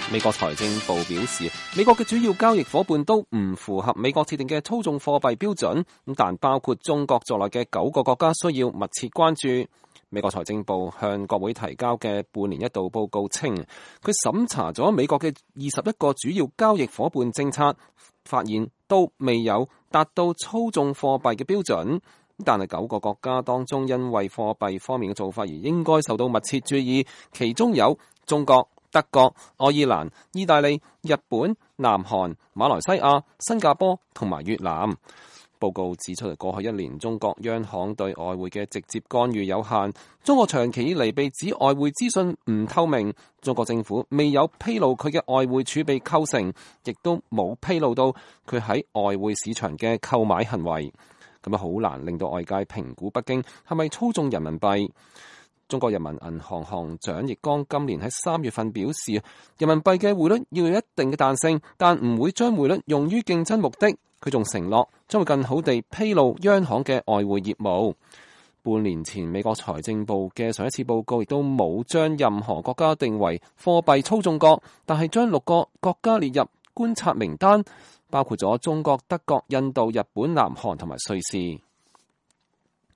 美國財政部表示，美國嘅主要交易夥伴都唔符合美國設定嘅操縱貨幣標準，但包括中國在內嘅9個國家需要密切關注。美國財政部向國會提交嘅半年一度報告稱，佢審查咗美國嘅21個主要交易夥伴政策，發現都未有達到操縱貨幣嘅標準。但係9個國家當中，因為貨幣方面嘅做法而應該受到密切注意，其中有中國、德國、愛爾蘭、意大利、日本、南韓、馬來西亞、新加坡同埋越南。報告指出，過去1年中國央行對外匯嘅直接干預有限，中國長期以嚟被指外匯資訊唔透明，中國政府未有披露佢嘅外匯儲備構成，亦都冇披露到佢喺外匯市場嘅購買行為，咁啊好難令到外界評估北京係咪操縱人民幣。中國人民銀行行長易綱今年喺3月份表示，人民幣嘅匯率要有一定嘅彈性，但唔會將匯率用於競爭目的。佢仲承諾將會更好地披露央行嘅外匯業務。半年前美國財政部嘅上一次報告亦都冇將任何國家定為貨幣操縱國，但係將6個國家列入觀察名單，包括咗中國、德國、印度、日本、南韓同埋瑞士。